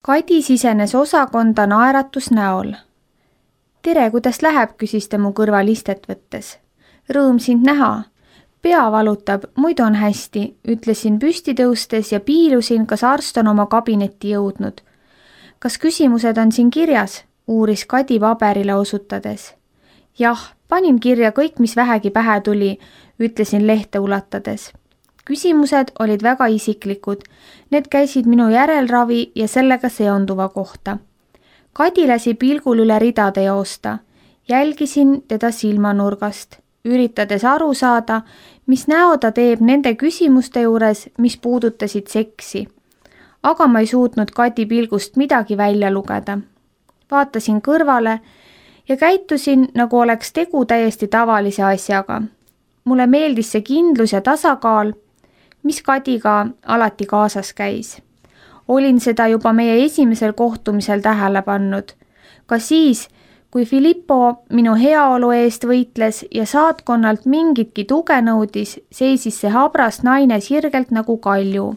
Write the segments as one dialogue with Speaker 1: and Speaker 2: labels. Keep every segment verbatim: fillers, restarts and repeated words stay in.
Speaker 1: Kadi sisenes osakonda naeratus näol. Tere, kuidas läheb, küsis ta mu kõrval istet võttes. Rõõm sind näha. Pea valutab, muidu on hästi, ütlesin püsti tõustes ja piilusin, kas arst on oma kabinetti jõudnud. Kas küsimused on siin kirjas? Uuris Kadi paberile osutades. Jah, panin kirja kõik, mis vähegi pähe tuli, ütlesin lehte ulatades. Küsimused olid väga isiklikud. Need käisid minu järelravi ja sellega seonduva kohta. Kadi lasi pilgul üle ridade joosta. Jälgisin teda silmanurgast, üritades aru saada, mis näo ta teeb nende küsimuste juures, mis puudutasid seksi. Aga ma ei suutnud Kadi pilgust midagi välja lugeda. Vaatasin kõrvale ja käitusin, nagu oleks tegu täiesti tavalise asjaga. Mulle meeldis see kindlus ja tasakaal, mis Kadiga alati kaasas käis. Olin seda juba meie esimesel kohtumisel tähele pannud. Ka siis, kui Filippo minu heaolu eest võitles ja saatkonnalt mingitki tuge nõudis, seisis see habras naine sirgelt nagu kalju.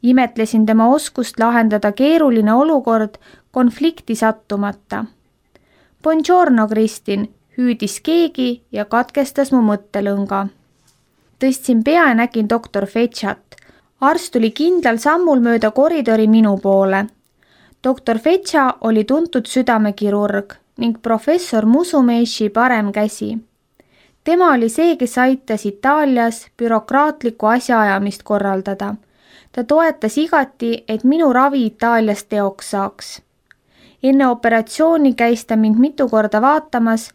Speaker 1: Imetlesin tema oskust lahendada keeruline olukord konflikti sattumata. Buongiorno, Kristin, hüüdis keegi ja katkestas mu mõttelõnga. Tõstsin pea ja nägin doktor Fetšat. Arst tuli kindlal sammul mööda koridori minu poole. doktor Fetša oli tuntud südamekirurg ning professor Musumeshi parem käsi. Tema oli see, kes aitas Itaalias bürokraatlikku asjaajamist korraldada. Ta toetas igati, et minu ravi Itaalias teoks saaks. Enne operatsiooni käis ta mind mitu korda vaatamas,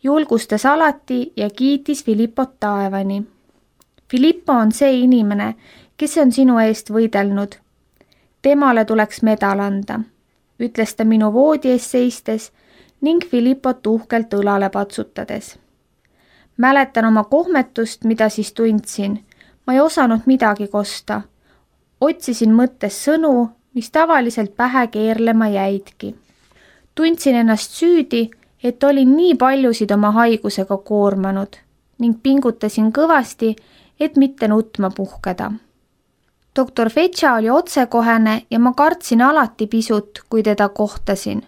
Speaker 1: julgustas alati ja kiitis Filippot taevani. Filippo on see inimene, kes on sinu eest võidelnud. Temale tuleks medal anda, ütles ta minu voodi ees seistes ning Filippot uhkelt õlale patsutades. Mäletan oma kohmetust, mida siis tundsin. Ma ei osanud midagi kosta. Otsisin mõttes sõnu, mis tavaliselt pähe keerlema jäidki. Tundsin ennast süüdi, et olin nii paljusid oma haigusega koormanud ning pingutasin kõvasti, et mitte nutma puhkeda. doktor Fetša oli otsekohene ja ma kartsin alati pisut, kui teda kohtasin.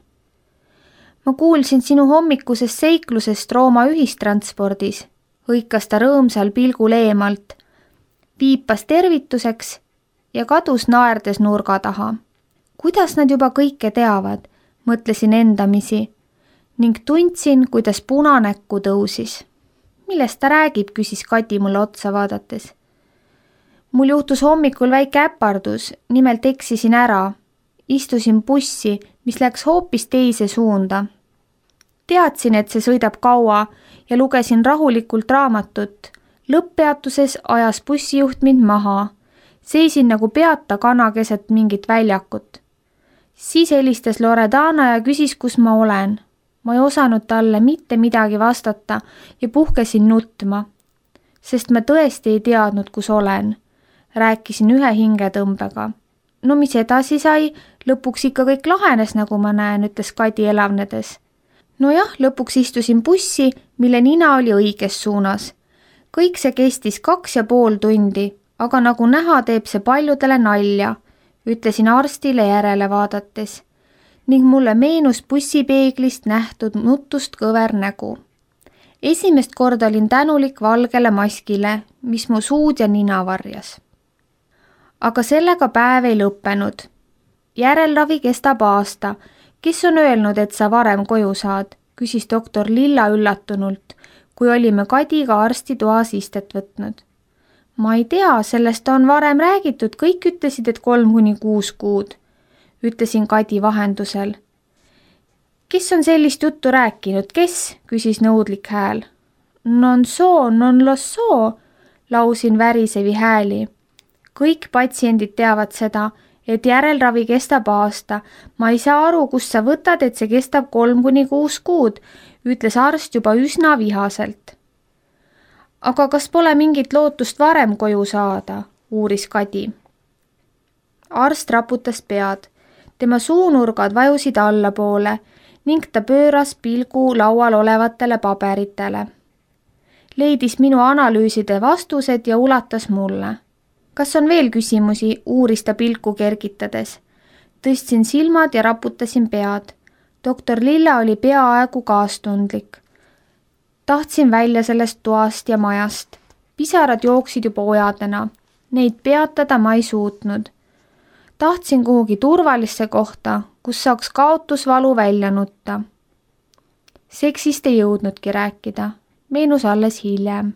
Speaker 1: Ma kuulsin sinu hommikusest seiklusest Rooma ühistranspordis, hõikas ta rõõmsal pilgul eemalt, piipas tervituseks ja kadus naerdes nurga taha. Kuidas nad juba kõike teavad, mõtlesin endamisi ning tundsin, kuidas punanäkku tõusis. Millest ta räägib, küsis Kadi mulle otsa vaadates. Mul juhtus hommikul väike äpardus, nimelt eksisin ära. Istusin bussi, mis läks hoopis teise suunda. Teadsin, et see sõidab kaua ja lugesin rahulikult raamatut. Lõpppeatuses ajas bussijuht mind maha. Seisin nagu peata kana keset mingit väljakut. Siis helistas Loredana ja küsis, kus ma olen. Ma ei osanud talle mitte midagi vastata ja puhkesin nutma, sest ma tõesti ei teadnud, kus olen. Rääkisin ühe hingetõmbega. No mis edasi sai, lõpuks ikka kõik lahenes, nagu ma näen, ütles Kadi elavnedes. Nojah, lõpuks istusin bussi, mille nina oli õiges suunas. Kõik see kestis kaks ja pool tundi, aga nagu näha, teeb see paljudele nalja, ütlesin arstile järele vaadates. Ning mulle meenus bussipeeglist nähtud nutust kõver nägu. Esimest korda olin tänulik valgele maskile, mis mu suud ja nina varjas. Aga sellega päev ei lõppenud. Järelravi kestab aasta. Kes on öelnud, et sa varem koju saad, küsis doktor Lilla üllatunult, kui olime Kadiga arstituas istet võtnud. Ma ei tea, sellest on varem räägitud, kõik ütlesid, et kolm kuni kuus kuud. Ütlesin Kadi vahendusel. Kes on sellist juttu rääkinud, kes? Küsis nõudlik hääl. Non so, non lo so, lausin värisevi hääli. Kõik patsiendid teavad seda, et järelravi kestab aasta. Ma ei saa aru, kust sa võtad, et see kestab kolm kuni kuus kuud, ütles arst juba üsna vihaselt. Aga kas pole mingit lootust varem koju saada, uuris Kadi. Arst raputas pead. Tema suunurgad vajusid allapoole ning ta pööras pilgu laual olevatele paberitele. Leidis minu analüüside vastused ja ulatas mulle. Kas on veel küsimusi, uuris ta pilku kergitades. Tõstsin silmad ja raputasin pead. doktor Lilla oli peaaegu kaastundlik. Tahtsin välja sellest toast ja majast. Pisarad jooksid juba ojadena. Neid peatada ma ei suutnud. Tahtsin kuhugi turvalisse kohta, kus saaks kaotusvalu välja nutta. Seksist ei jõudnudki rääkida. Meenus alles hiljem.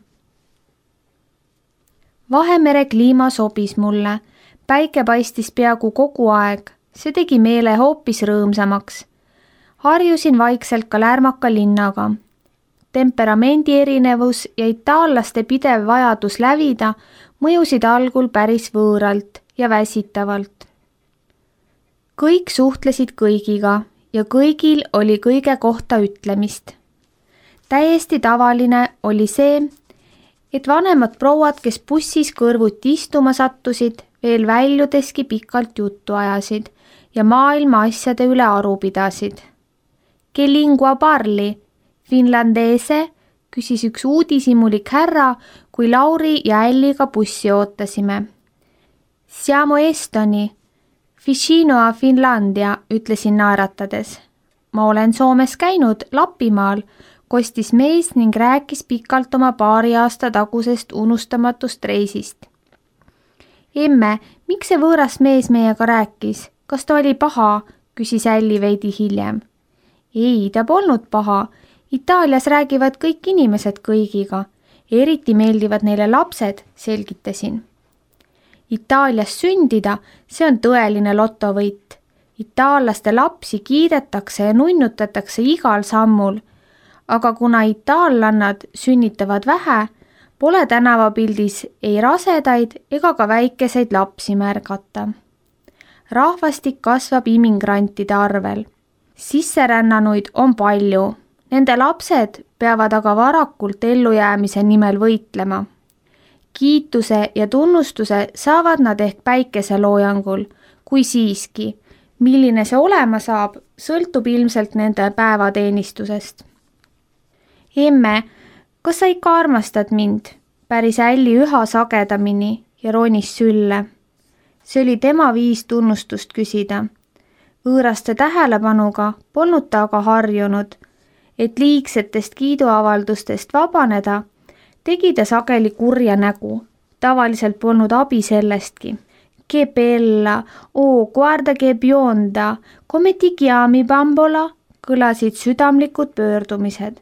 Speaker 1: Vahemere kliima sobis mulle. Päike paistis peaaegu kogu aeg. See tegi meele hoopis rõõmsamaks. Harjusin vaikselt ka lärmaka linnaga. Temperamendi erinevus ja itaallaste pidev vajadus lävida mõjusid algul päris võõralt ja väsitavalt. Kõik suhtlesid kõigiga ja kõigil oli kõige kohta ütlemist. Täiesti tavaline oli see, et vanemad prouad, kes bussis kõrvuti istuma sattusid, veel väljudeski pikalt juttu ajasid ja maailma asjade üle aru pidasid. Che lingua parli? Finlandese, küsis üks uudishimulik härra, kui Lauri ja Älliga bussi ootasime. Siamo Estoni, vicino a Finlandia, ütlesin naeratades. Ma olen Soomes käinud Lapimaal, kostis mees ning rääkis pikalt oma paari aasta tagusest unustamatust reisist. Emme, miks see võõras mees meiega rääkis? Kas ta oli paha? Küsis Älli veidi hiljem. Ei, ta polnud paha. Itaalias räägivad kõik inimesed kõigiga. Eriti meeldivad neile lapsed, selgitasin. Itaalias sündida, see on tõeline lotovõit. Itaallaste lapsi kiidetakse ja nunnutatakse igal sammul. Aga kuna itaallannad sünnitavad vähe, pole tänavapildis ei rasedaid ega ka väikeseid lapsi märgata. Rahvastik kasvab immigrantide arvel. Sisserännanuid on palju. Nende lapsed peavad aga varakult ellujäämise nimel võitlema. Kiituse ja tunnustuse saavad nad ehk päikeseloojangul, kui siiski. Milline see olema saab, sõltub ilmselt nende päevateenistusest. Emme, kas sa ikka armastad mind? Päris Älli üha sagedamini ja ronis sülle. See oli tema viis tunnustust küsida. Võõraste tähelepanuga polnud ta aga harjunud, et liigsetest kiiduavaldustest vabaneda, tegi ta sageli kurja nägu. Tavaliselt polnud abi sellestki. Che bella, oh, guarda che bionda, come ti chiami bambola, kõlasid südamlikud pöördumised.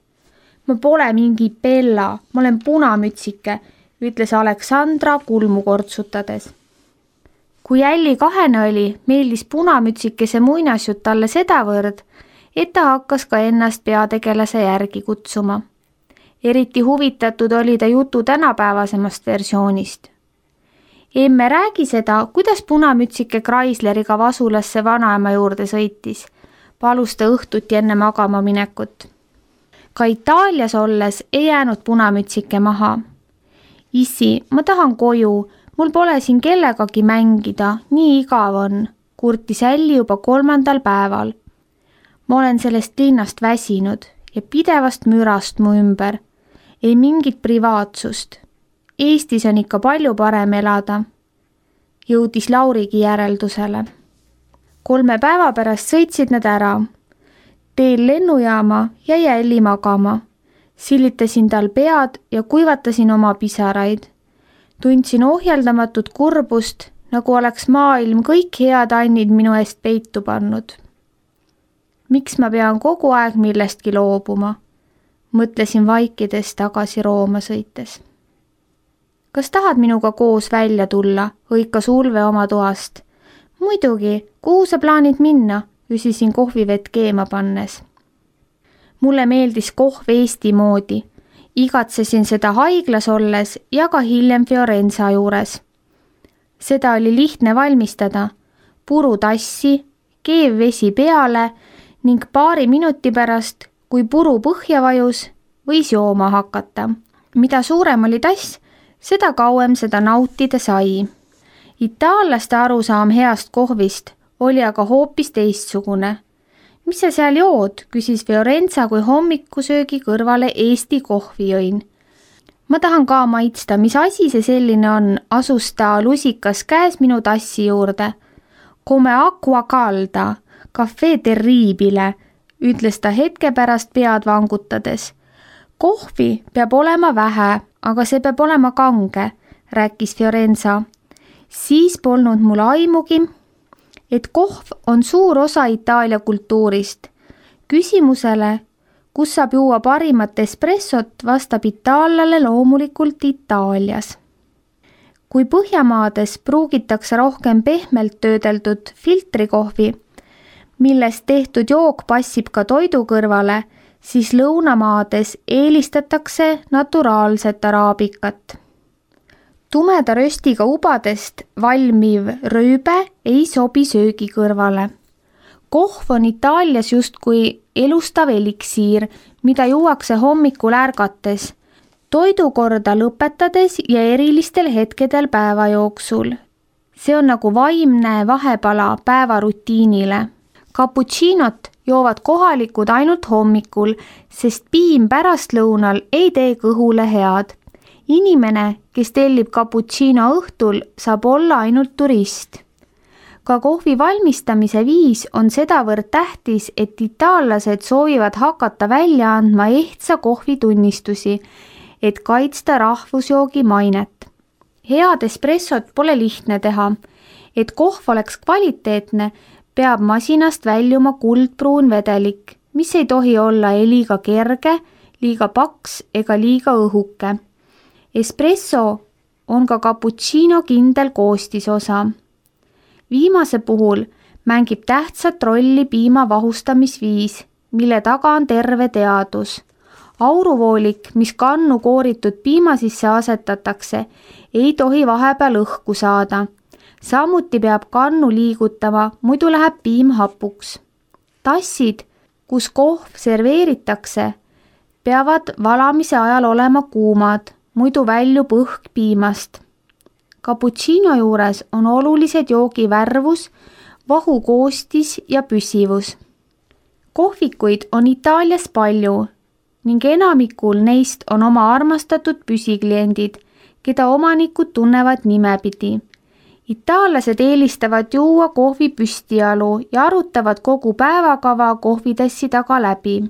Speaker 1: Ma pole mingi bella, ma olen punamütsike, ütles Aleksandra kulmu kortsutades. Kui Älli kahene oli, meeldis punamütsikese muinasjutt talle sedavõrd, et ta hakkas ka ennast peategelase järgi kutsuma. Eriti huvitatud oli ta jutu tänapäevasemast versioonist. Emme, räägi seda, kuidas punamütsike Chrysleriga Vasulasse vanaema juurde sõitis. Palus ta õhtuti enne magama minekut. Ka Itaalias olles ei jäänud punamütsike maha. Issi, ma tahan koju, mul pole siin kellegagi mängida, nii igav on, kurtis Älli juba kolmandal päeval. Ma olen sellest linnast väsinud ja pidevast mürast mu ümber. Ei mingit privaatsust. Eestis on ikka palju parem elada. Jõudis Laurigi järeldusele. Kolme päeva pärast sõitsid nad ära. Teel lennujaama jäi Älli magama. Sillitasin tal pead ja kuivatasin oma pisaraid. Tundsin ohjeldamatut kurbust, nagu oleks maailm kõik head annid minu eest peitu pannud. Miks ma pean kogu aeg millestki loobuma? Mõtlesin vaikides tagasi Rooma sõites. Kas tahad minuga koos välja tulla, hõikas Ulve oma toast? Muidugi, kuhu sa plaanid minna, küsisin kohvivett keema pannes. Mulle meeldis kohv Eesti moodi. Igatsesin seda haiglas olles ja ka hiljem Fiorenza juures. Seda oli lihtne valmistada. Puru tassi, keev vesi peale ning paari minuti pärast, kui puru põhja vajus, võis jooma hakata. Mida suurem oli tass, seda kauem seda nautida sai. Itaallaste arusaam heast kohvist oli aga hoopis teistsugune. Mis sa seal jood, küsis Fiorenza, kui hommikusöögi kõrvale Eesti kohvi jõin. Ma tahan ka maitsta, mis asi see selline on, asus ta lusikas käes minu tassi juurde. Come acqua calda, caffè terribile, ütles ta hetke pärast pead vangutades. Kohvi peab olema vähe, aga see peab olema kange, rääkis Fiorenza. Siis polnud mul aimugi, et kohv on suur osa Itaalia kultuurist. Küsimusele, kus saab juua parimat espressot, vastab itaallale loomulikult Itaalias. Kui Põhjamaades pruugitakse rohkem pehmelt töödeldud filtrikohvi, millest tehtud jook passib ka toidu kõrvale, siis lõunamaades eelistatakse naturaalset araabikat. Tumeda röstiga ubadest valmiv rööbe ei sobi söögi kõrvale. Kohv on Itaalias justkui elustav eliksiir, mida juuakse hommikul ärgates, toidukorda lõpetades ja erilistel hetkedel päeva jooksul. See on nagu vaimne vahepala päevarutiinile. Cappuccinot joovad kohalikud ainult hommikul, sest piim pärastlõunal ei tee kõhule head. Inimene, kes tellib cappuccino õhtul, saab olla ainult turist. Ka kohvi valmistamise viis on sedavõrd tähtis, et itaallased soovivad hakata välja andma ehtsa kohvitunnistusi, et kaitsta rahvusjoogi mainet. Head espressot pole lihtne teha. Et kohv oleks kvaliteetne, peab masinast väljuma kuldpruun vedelik, mis ei tohi olla ei liiga kerge, liiga paks ega liiga õhuke. Espresso on ka cappuccino kindel koostisosa. Viimase puhul mängib tähtsat rolli piima vahustamisviis, mille taga on terve teadus. Auruvoolik, mis kannu kooritud piima sisse asetatakse, ei tohi vahepeal õhku saada. Samuti peab kannu liigutama, muidu läheb piim hapuks. Tassid, kus kohv serveeritakse, peavad valamise ajal olema kuumad, muidu väljub õhk piimast. Cappuccino juures on olulised joogi värvus, vahu koostis ja püsivus. Kohvikuid on Itaalias palju ning enamikul neist on oma armastatud püsikliendid, keda omanikud tunnevad nimepidi. Itaallased eelistavad juua kohvi püstijalu ja arutavad kogu päevakava kohvitassi taga läbi.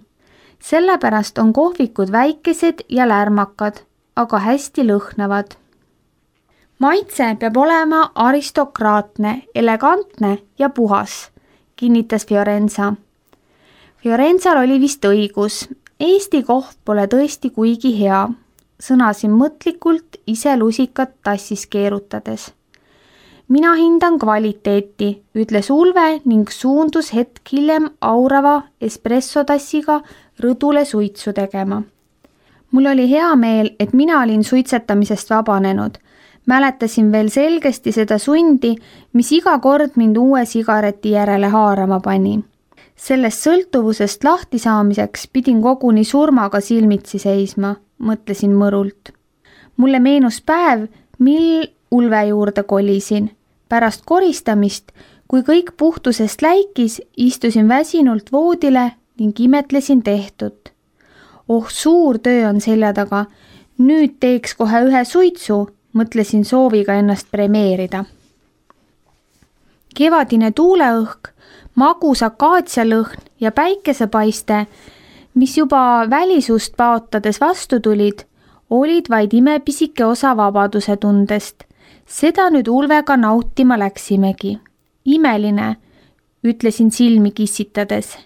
Speaker 1: Sellepärast on kohvikud väikesed ja lärmakad, aga hästi lõhnavad. Maitse peab olema aristokraatne, elegantne ja puhas, kinnitas Fiorenza. Fiorenzal oli vist õigus. Eesti kohv pole tõesti kuigi hea, sõnasin mõtlikult ise lusikat tassis keerutades. Mina hindan kvaliteeti, ütles Ulve ning suundus hetk hiljem aurava espressotassiga rõdule suitsu tegema. Mul oli hea meel, et mina olin suitsetamisest vabanenud. Mäletasin veel selgesti seda sundi, mis iga kord mind uue sigareti järele haarama pani. Sellest sõltuvusest lahti saamiseks pidin koguni surmaga silmitsi seisma, mõtlesin mõrult. Mulle meenus päev, mil Ulve juurde kolisin. Pärast koristamist, kui kõik puhtusest läikis, istusin väsinult voodile ning imetlesin tehtut. Oh, suur töö on selja taga. Nüüd teeks kohe ühe suitsu, mõtlesin sooviga ennast premeerida. Kevadine tuuleõhk, magus akaatsialõhn ja päikesepaiste, mis juba välisust paotades vastu tulid, olid vaid imepisike osa vabaduse tundest. Seda nüüd Ulvega nautima läksimegi. Imeline, ütlesin silmi kissitades.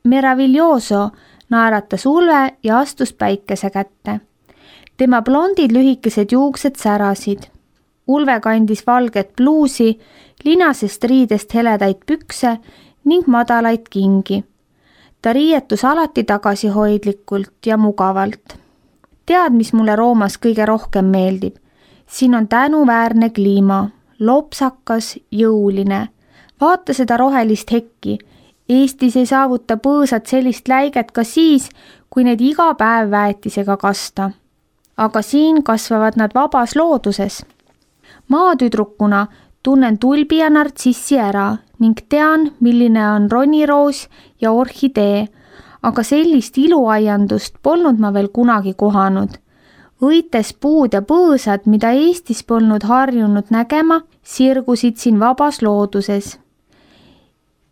Speaker 1: Meraviglioso, naeratas Ulve ja astus päikese kätte. Tema blondid lühikesed juuksed särasid. Ulve kandis valget bluusi, linasest riidest heledaid pükse ning madalaid kingi. Ta riietus alati tagasihoidlikult ja mugavalt. Tead, mis mulle Roomas kõige rohkem meeldib? Siin on tänuväärne kliima, lopsakas, jõuline. Vaata seda rohelist hekki. Eestis ei saavuta põõsad sellist läiget ka siis, kui need iga päev väetisega kasta. Aga siin kasvavad nad vabas looduses. Maatüdrukuna tunnen tulbi ja nartsissi ära ning tean, milline on roniroos ja orhidee, aga sellist iluaiandust polnud ma veel kunagi kohanud. Õites puud ja põõsad, mida Eestis polnud harjunud nägema, sirgusid siin vabas looduses.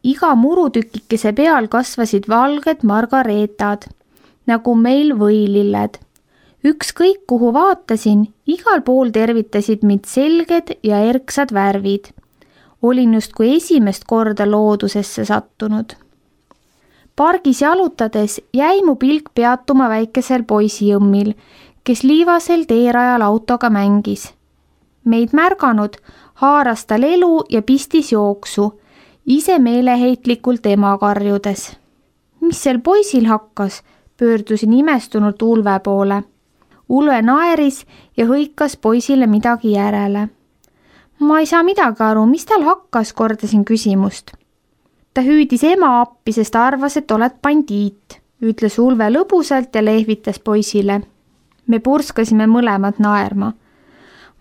Speaker 1: iga murutükikese peal kasvasid valged margareetad, nagu meil võililled. Ükskõik kuhu vaatasin, igal pool tervitasid mind selged ja erksad värvid. Olin just kui esimest korda loodusesse sattunud. Pargis jalutades jäi mu pilk peatuma väikesel poisijõmmil, kes liivasel teerajal autoga mängis. Meid märganud, haaras tal elu ja pistis jooksu, ise meeleheitlikult ema karjudes. Mis sel poisil hakkas, pöördusin imestunult Ulve poole. Ulve naeris ja hõikas poisile midagi järele. Ma ei saa midagi aru, mis tal hakkas, kordasin küsimust. Ta hüüdis ema appi, sest arvas, et oled bandiit, ütles Ulve lõbusalt ja lehvitas poisile. Me purskasime mõlemad naerma.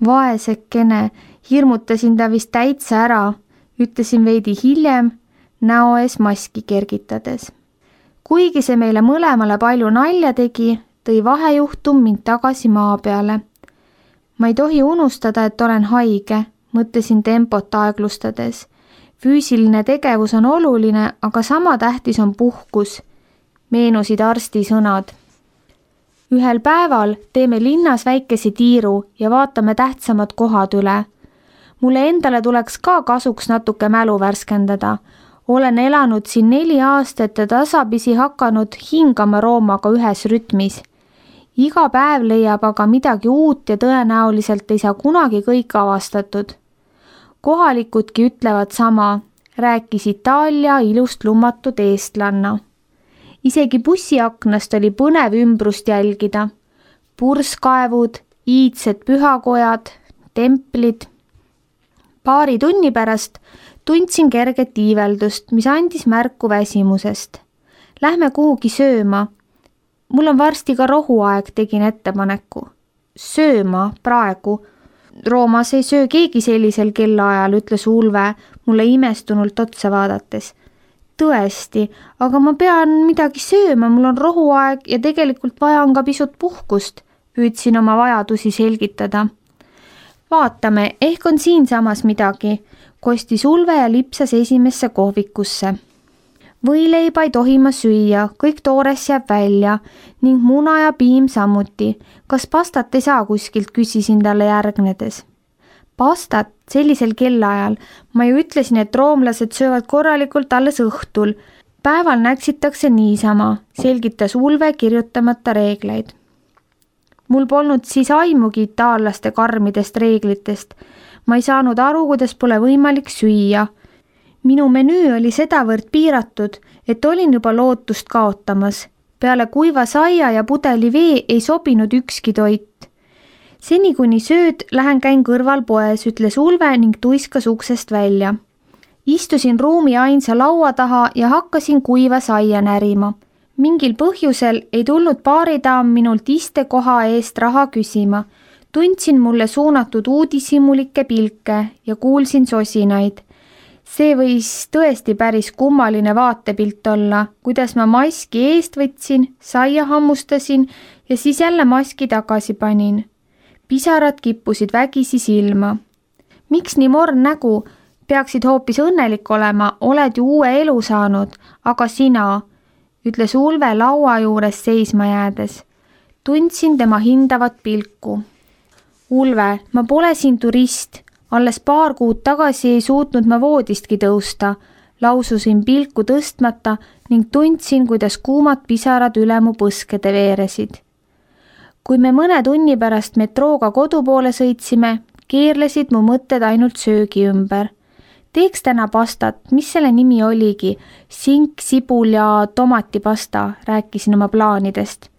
Speaker 1: Vaesekene, hirmutasin ta vist täitsa ära, ütlesin veidi hiljem, näo ees maski kergitades. Kuigi see meile mõlemale palju nalja tegi, tõi vahejuhtum mind tagasi maa peale. Ma ei tohi unustada, et olen haige, mõtlesin tempot aeglustades. Füüsiline tegevus on oluline, aga sama tähtis on puhkus, meenusid arsti sõnad. Ühel päeval teeme linnas väikese tiiru ja vaatame tähtsamad kohad üle. Mulle endale tuleks ka kasuks natuke mälu värskendada. Olen elanud siin neli aastat ja tasapisi hakanud hingama Roomaga ühes rütmis. Iga päev leiab aga midagi uut ja tõenäoliselt ei saa kunagi kõik avastatud. Kohalikudki ütlevad sama, rääkis Itaalia ilust lummatud eestlanna. Isegi bussiaknast oli põnev ümbrust jälgida. Purskaevud, iidsed pühakojad, templid. Paari tunni pärast tundsin kerget iiveldust, mis andis märku väsimusest. Lähme kuhugi sööma. Mul on varsti ka rohuaeg, tegin ettepaneku. Sööma praegu. Roomas ei söö keegi sellisel kellaajal, ütles Ulve mulle imestunult otsa vaadates. Tõesti, aga ma pean midagi sööma, mul on rohuaeg ja tegelikult vaja on ka pisut puhkust, püüdsin oma vajadusi selgitada. Vaatame, ehk on siinsamas midagi, kostis Ulve ja lipsas esimesse kohvikusse. Võileiba ei tohi ma süüa, kõik toores jääb välja ning muna ja piim samuti. Kas pastat ei saa kuskilt, küsisin talle järgnedes. Pastat sellisel kellaajal. Ma ju ütlesin, et roomlased söövad korralikult alles õhtul. Päeval näksitakse niisama, selgitas Ulve kirjutamata reegleid. Mul polnud siis aimugi itaallaste karmidest reeglitest. Ma ei saanud aru, kuidas pole võimalik süüa. Minu menüü oli sedavõrd piiratud, et olin juba lootust kaotamas. Peale kuiva saia ja pudeli vee ei sobinud ükski toit. Seni kuni sööd, lähen käin kõrval poes, ütles Ulve ning tuiskas uksest välja. Istusin ruumi ainsa laua taha ja hakkasin kuiva saia närima. Mingil põhjusel ei tulnud baaridaam minult istekoha eest raha küsima. Tundsin mulle suunatud uudishimulikke pilke ja kuulsin sosinaid. See võis tõesti päris kummaline vaatepilt olla, kuidas ma maski eest võtsin, saia hammustasin ja siis jälle maski tagasi panin. Pisarad kippusid vägisi silma. Miks nii morn nägu? Peaksid hoopis õnnelik olema, oled ju uue elu saanud, aga sina, ütles Ulve laua juures seisma jäädes. Tundsin tema hindavat pilku. Ulve, ma pole siin turist. Alles paar kuud tagasi ei suutnud ma voodistki tõusta, laususin pilku tõstmata ning tundsin, kuidas kuumad pisarad üle mu põskede veeresid. Kui me mõne tunni pärast metrooga kodu poole sõitsime, keerlesid mu mõtted ainult söögi ümber. Teeks täna pastat, mis selle nimi oligi, sink, sibul ja tomatipasta, rääkisin oma plaanidest.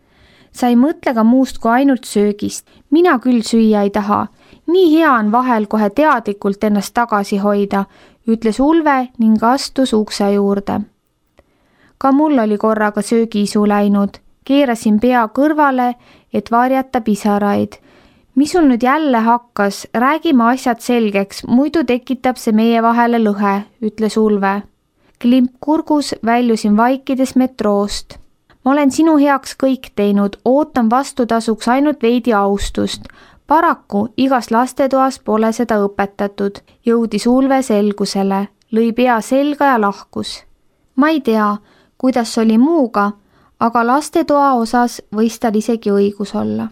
Speaker 1: Sa ei mõtle ka muust kui ainult söögist, mina küll süüa ei taha. Nii hea on vahel kohe teadlikult ennast tagasi hoida, ütles Ulve ning astus ukse juurde. Ka mul oli korraga söögiisu läinud, keerasin pea kõrvale, et varjata pisaraid. Mis sul nüüd jälle hakkas, räägime asjad selgeks, muidu tekitab see meie vahele lõhe, ütles Ulve. Klimp kurgus väljusin vaikides metroost. Ma olen sinu heaks kõik teinud, ootan vastutasuks ainult veidi austust. Paraku igas lastetoas pole seda õpetatud, jõudis Ulve selgusele. lõi pea selga ja lahkus. Ma ei tea, kuidas oli muuga, aga lastetoa osas võis tal isegi õigus olla.